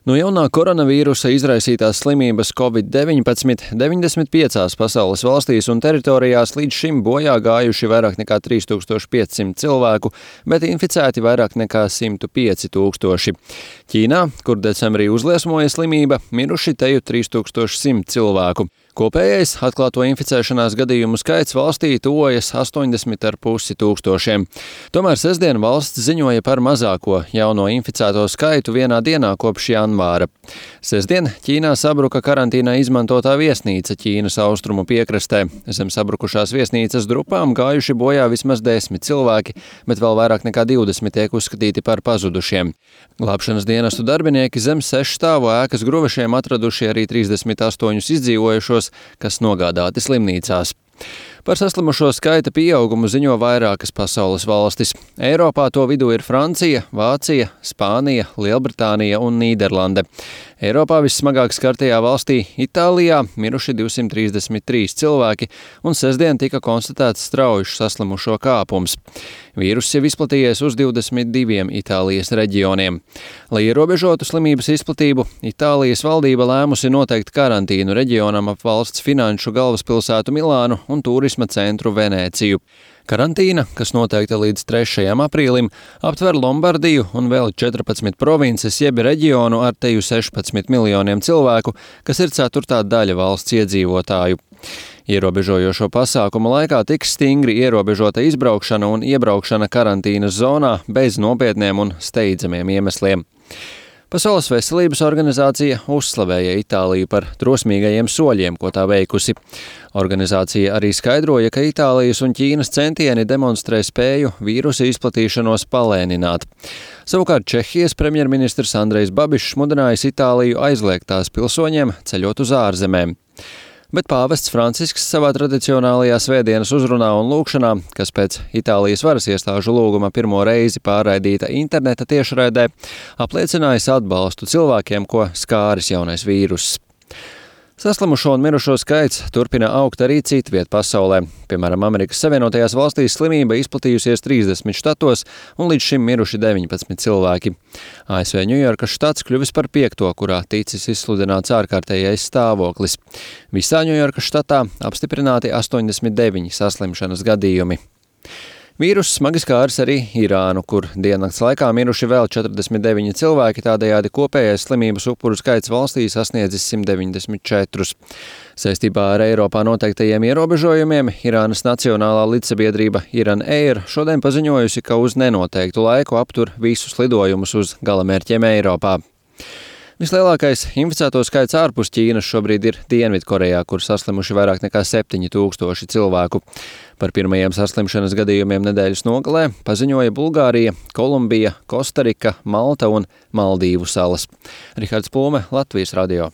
No jaunā koronavīrusa izraisītās slimības Covid-19 95 pasaules valstīs un teritorijās līdz šim bojā gājuši vairāk nekā 3500 cilvēku, bet inficēti vairāk nekā 105 000. Ķīnā, kur decembrī uzliesmoja slimība, miruši teju 3100 cilvēku. Kopējais atklāto inficēšanās gadījumu skaits valstī tuvojas 80,5 tūkstošiem. Tomēr sestdien valsts ziņoja par mazāko jauno inficēto skaitu vienā dienā kopš janvāra. Sestdien Ķīnā sabruka karantīnā izmantotā viesnīca Ķīnas austrumu piekrastē. Zem sabrukušās viesnīcas drupām gājuši bojā vismaz 10 cilvēki, bet vēl vairāk nekā 20 tiek uzskatīti par pazudušiem. Glābšanas dienestu darbinieki zem 6 stāvu ēkas gruvešiem atraduši arī 38 izdzīvojušos, kas nogādāti slimnīcās. Par saslimušo skaita pieaugumu ziņo vairākas pasaules valstis. Eiropā to vidū ir Francija, Vācija, Spānija, Lielbritānija un Nīderlande. Eiropā vissmagāk skartajā valstī Itālijā miruši 233 cilvēki, un sestdien tika konstatēts straujušs saslimušo kāpums. Vīruss jau izplatījies uz 22 Itālijas reģioniem. Lai ierobežotu slimības izplatību, Itālijas valdība lēmusi noteikt karantīnu reģionam ap valsts finanšu galvaspilsētu Milānu un turisma centru Venēciju. Karantīna, kas noteikta līdz 3. aprīlim, aptver Lombardiju un vēl 14 provinces jeb reģionu ar teju 16 miljoniem cilvēku, kas ir ceturtā daļa valsts iedzīvotāju. Ierobežojošo pasākumu laikā tiks stingri ierobežota izbraukšana un iebraukšana karantīnas zonā bez nopietniem un steidzamiem iemesliem. Pasaules veselības organizācija uzslavēja Itāliju par drosmīgajiem soļiem, ko tā veikusi. Organizācija arī skaidroja, ka Itālijas un Ķīnas centieni demonstrē spēju vīrusa izplatīšanos palēnināt. Savukārt Čehijas premjerministrs Andrejs Babišs mudinājis Itāliju aizliegt tās pilsoņiem ceļot uz ārzemēm. Bet pāvests Francisks savā tradicionālajā svētdienas uzrunā un lūgšanā, kas pēc Itālijas varas iestāžu lūguma pirmo reizi pārraidīta interneta tiešraidē, apliecinājis atbalstu cilvēkiem, ko skāris jaunais vīruss. Saslimušo un mirušo skaits turpina augt arī citviet pasaulē. Piemēram, Amerikas Savienotajās valstīs slimība izplatījusies 30 štatos un līdz šim miruši 19 cilvēki. ASV Ņujorkas štats kļuvis par 5., kurā ticis izsludināts ārkārtējais stāvoklis. Visā Ņujorkas štatā apstiprināti 89 saslimšanas gadījumi. Vīruss smagi skāris arī Irānu, kur diennakts laikā miruši vēl 49 cilvēki, tādējādi kopējais slimības upuru skaits valstī sasniedzis 194. Saistībā ar Eiropā noteiktajiem ierobežojumiem Irānas nacionālā lidsabiedrība Iran Air šodien paziņojusi, ka uz nenoteiktu laiku aptur visus lidojumus uz galamērķiem Eiropā. Vislielākais inficēto skaits ārpus Ķīnas šobrīd ir Dienvidkorejā, kur saslimuši vairāk nekā 7000 cilvēku. Par pirmajiem saslimšanas gadījumiem nedēļas nogalē paziņoja Bulgārija, Kolumbija, Kostarika, Malta un Maldīvu salas. Rihards Plūme, Latvijas radio.